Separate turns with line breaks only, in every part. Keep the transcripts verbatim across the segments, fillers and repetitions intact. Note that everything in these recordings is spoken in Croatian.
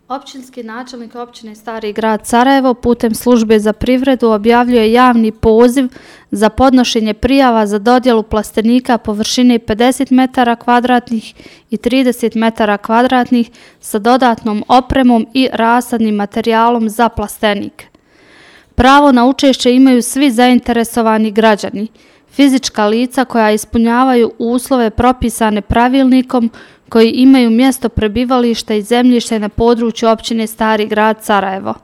Općinski načelnik općine Stari grad Sarajevo putem službe za privredu objavljuje javni poziv za podnošenje prijava za dodjelu plastenika površine pedeset metara kvadratnih i trideset metara kvadratnih sa dodatnom opremom i rasadnim materijalom za plastenik. Pravo na učešće imaju svi zainteresovani građani, fizička lica koja ispunjavaju uslove propisane pravilnikom, koji imaju mjesto prebivališta i zemljište na području općine Stari grad Sarajevo.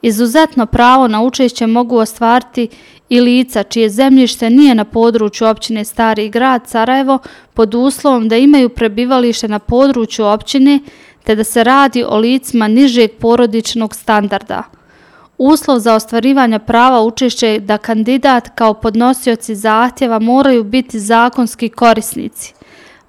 Izuzetno pravo na učešće mogu ostvariti i lica čije zemljište nije na području općine Stari grad Sarajevo pod uslovom da imaju prebivalište na području općine te da se radi o licima nižeg porodičnog standarda. Uslov za ostvarivanje prava učešća je da kandidat kao podnosioci zahtjeva moraju biti zakonski korisnici,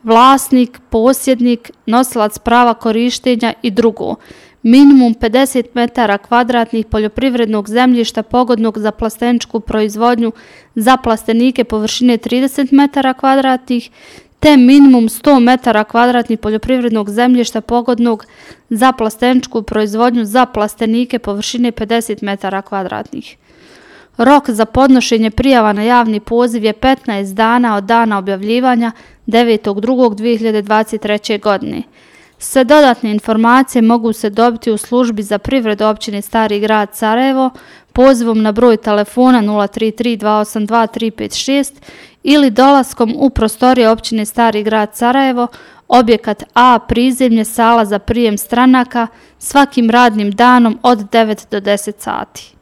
vlasnik, posjednik, nosilac prava korištenja i drugo, minimum pedeset metara kvadratnih poljoprivrednog zemljišta pogodnog za plasteničku proizvodnju za plastenike površine trideset metara kvadratnih, te minimum sto metara kvadratnih poljoprivrednog zemljišta pogodnog za plasteničku proizvodnju za plastenike površine pedeset metara kvadratnih. Rok za podnošenje prijava na javni poziv je petnaest dana od dana objavljivanja devetog drugog dvije hiljade dvadeset treće. godine. Sve dodatne informacije mogu se dobiti u službi za privredu općine Stari grad Sarajevo pozivom na broj telefona nula tri tri dva osam dva tri pet šest ili dolaskom u prostorije općine Stari grad Sarajevo, objekat A, prizemlje, sala za prijem stranaka, svakim radnim danom od devet do deset sati.